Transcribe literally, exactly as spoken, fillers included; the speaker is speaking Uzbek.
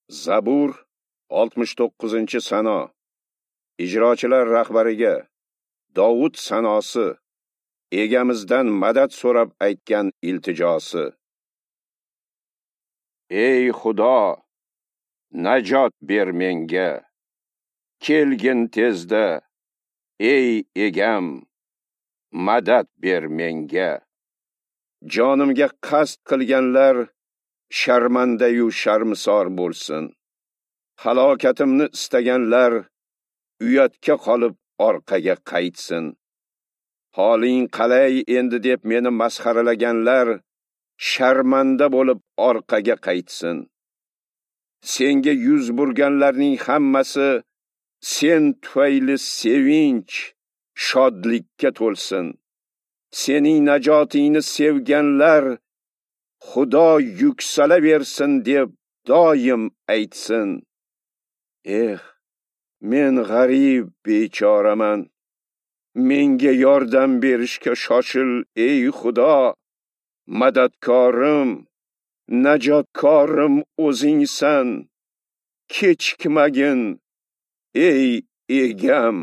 Zabur oltmish to'qqizinchi sano. Ijrochilar rahbariga Dovud sanosi, egamizdan madad so'rab aytgan iltijosi. Ey Xudo, najot ber menga. Kelgin tezda, ey egam, madad ber menga. Jonimga qasd qilganlar sharmandayu sharmisor bo'lsin. Halokatimni istaganlar uyatga qolib orqaga qaytsin. Holing qalay endi deb meni masxaralaganlar sharmanda bo'lib orqaga qaytsin. Senga yuz burganlarning hammasi sen tufayli sevinch, shodlikka to'lsin. Sening najotingni sevganlar Xudo yuksalaversin deb doim aytsin. Eh, men g'arib bechoraman. Menga yordam berishga shoshil, ey Xudo. Madadkorim, najotkorim o'zingsan. Kechikmagin, ey egam.